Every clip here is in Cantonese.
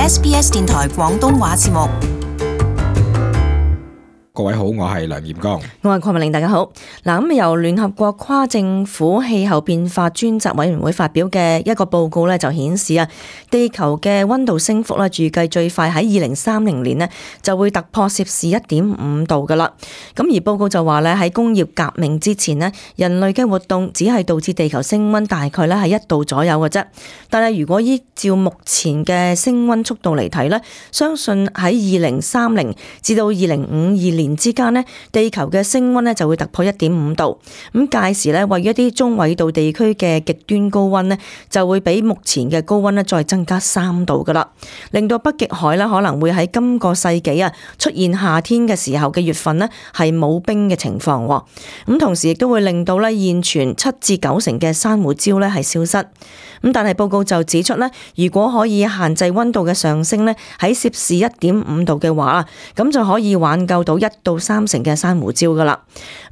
SBS 電台廣東話節目。各位好，我係梁炎剛，我係鄺文玲，大家好。咁由聯合國跨政府氣候變化專責委員會發表嘅一個報告咧，就顯示地球嘅溫度升幅咧，預計最快喺2030年咧就會突破攝氏1.5度噶啦。咁而報告就話咧，喺工業革命之前咧，人類嘅活動只係導致地球升溫大概咧係1度左右嘅啫。但係如果依照目前嘅升溫速度嚟睇咧，相信喺2030至到2052年之間呢，地球嘅升溫呢就會突破1.5度。咁屆時呢，位於一啲中緯度地區嘅極端高溫呢，就會比目前嘅高溫呢再增加3度噶啦，令到北極海呢可能會喺今個世紀出現夏天嘅時候嘅月份呢係冇冰嘅情況。咁同時亦都會令到呢現存7至9成嘅珊瑚礁呢係消失。咁但係報告就指出呢，如果可以限制溫度嘅上升呢，喺攝氏1.5度嘅話，咁就可以挽救到1到3成嘅珊瑚礁噶啦。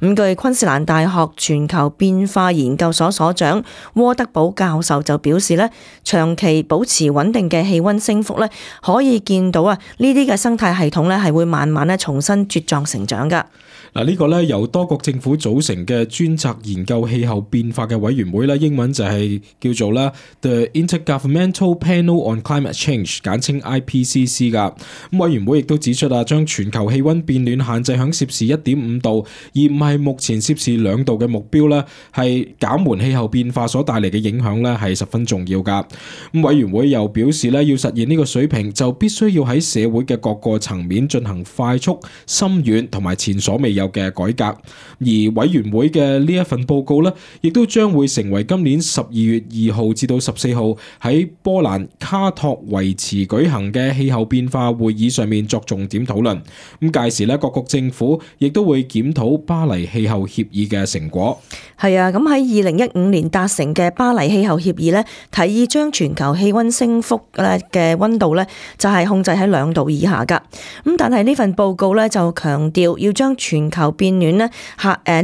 咁據昆士蘭大學全球變化研究所所長沃德堡教授就表示呢，長期保持穩定嘅氣溫升幅呢，可以見到呢啲嘅生態系統呢係會慢慢重新茁壯成長噶。呢個咧由多國政府組成嘅專責研究氣候變化嘅委員會咧，英文就係叫做啦 The Intergovernmental Panel on Climate Change， 簡稱 IPCC 噶。咁委員會亦都指出將全球氣溫變暖限制喺攝氏1.5度，而唔係目前攝氏2度嘅目標咧，係減緩氣候變化所帶嚟嘅影響咧，係十分重要噶。咁委員會又表示咧，要實現呢個水平，就必須要喺社會嘅各個層面進行快速、深遠同埋前所未有嘅改革。而委員會嘅呢一份報告呢，亦都將會成為今年12月2號至到14號喺波蘭卡托維茨舉行嘅氣候變化會議上面作重點討論。咁屆時呢，各國政府亦都會檢討巴黎氣候協議嘅成果。係啊，咁喺2015年達成嘅巴黎氣候協議呢，提議將全球氣溫升幅嘅溫度呢，就係控制喺2度以下噶。咁但係呢份報告呢，就強調要將全球變暖呢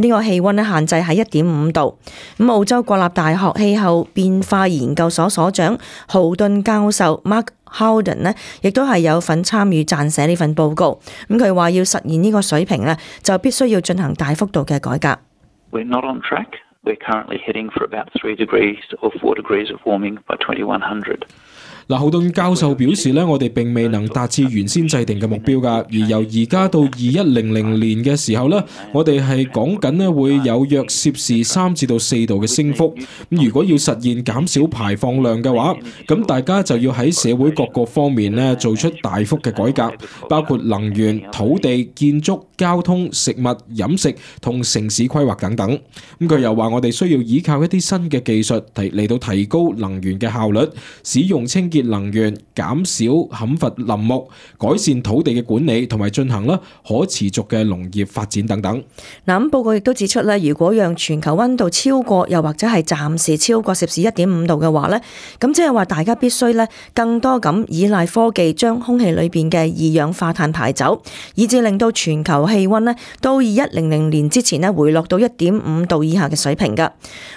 個氣溫呢限制喺1.5度。咁澳洲國立大學氣候變化研究所所長豪頓教授 Mark Howden 呢，亦都係有份參與撰寫呢份報告。咁佢話要實現呢個水平呢，就必須要進行大幅度嘅改革。We're not on track. We're currently heading for about 3 degrees or 4 degrees of warming by 2100. 豪頓教授表示咧，我哋並未能達至原先制定嘅目標㗎，而由而家到2100年嘅時候咧，我哋係講緊咧會有約攝氏3至到4度嘅升幅。咁如果要實現減少排放量嘅話，咁大家就要喺社會各個方面咧做出大幅嘅改革，包括能源、土地、建築、交通、食物、飲食同城市規劃等等。咁佢又話我哋需要依靠一啲新嘅技術嚟到提高能源嘅效率，使用清潔能源，減少砍伐林木，改善土地嘅管理，同埋進行可持續嘅農業發展等等。咁報告亦都指出咧，如果讓全球溫度超過又或者係暫時超過攝氏1.5度嘅話咧，咁即係話大家必須咧更多咁依賴科技，將空氣裏邊嘅二氧化碳排走，以至令到全球氣溫咧到2100年之前咧回落到1.5度以下嘅水平噶。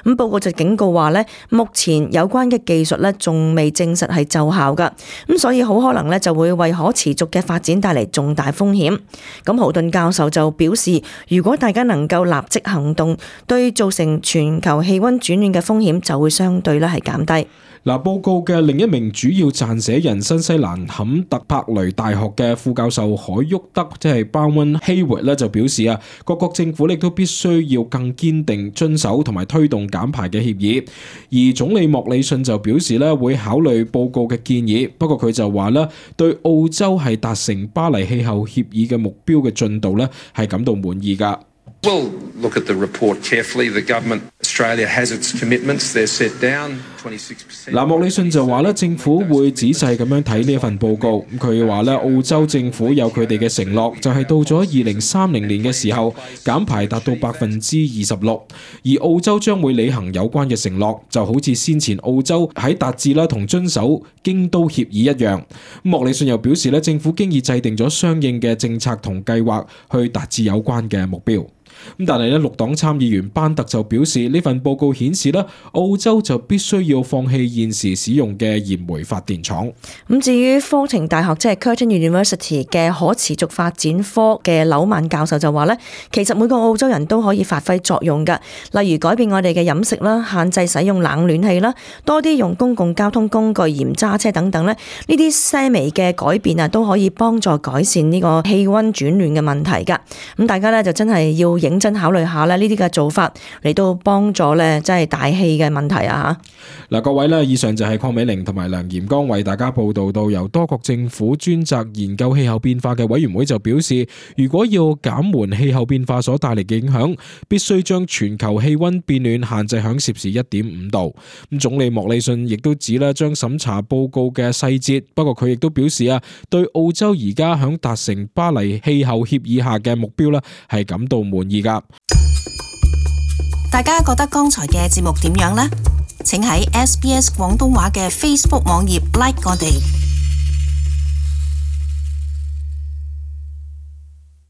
咁報告就警告話咧，目前有關嘅技術咧仲未證實係奏效噶，咁所以好可能咧就會為可持續嘅發展帶嚟重大風險。咁豪頓教授就表示，如果大家能夠立即行動，對造成全球氣溫轉暖嘅風險就會相對咧係減低。報告嘅另一名主要撰寫人新西蘭坎特柏雷大學嘅副教授海沃德，即係Bronwyn Hayward咧，就表示各國政府亦都必須要更堅定遵守同埋推動減排嘅協議。而總理莫里遜就表示會考慮報告嘅建議，不過佢就話對澳洲係達成巴黎氣候協議嘅目標嘅進度係感到滿意㗎。We'll look at the report carefully. The government, Australia has its commitments. They're set down 26%. 莫里遜就話政府會仔細咁樣睇呢一份報告。佢話澳洲政府有佢哋嘅承諾，就係到咗2030年嘅時候減排達到26%，而澳洲將會履行有關嘅承諾，就好似先前澳洲喺達至同遵守京都協議一樣。莫里遜又表示政府經已制定咗相應嘅政策同計劃去達至有關嘅目標。咁但係咧，綠黨參議員班特就表示，呢份報告顯示咧，澳洲就必須要放棄現時使用嘅燃煤發電廠。咁至於科廷大學即係 Curtin University 嘅可持續發展科嘅紐曼教授就話咧，其實每個澳洲人都可以發揮作用㗎，例如改變我哋嘅飲食啦，限制使用冷暖氣啦，多啲用公共交通工具，嚴揸車等等咧，呢啲細微嘅改變啊，都可以幫助改善呢個氣溫轉暖嘅問題㗎。咁大家咧就真係要認真考慮下咧，呢啲嘅做法嚟到幫助咧，即係大氣嘅問題啊嚇。嗱，各位咧，以上就係鄺美玲同埋梁炎剛為大家報道到，由多國政府專責研究氣候變化嘅委員會就表示，如果要減緩氣候變化所帶嚟嘅影響，必須將全球氣溫變暖限制喺攝氏1.5度。咁總理莫里遜亦都指咧，將審查報告嘅細節，不過佢亦都表示啊，對澳洲而家響達成巴黎氣候協議下嘅目標咧，係感到滿意噶。大家覺得剛才嘅節目點樣呢？請喺SBS 廣東話嘅 Facebook 網頁 like 我哋。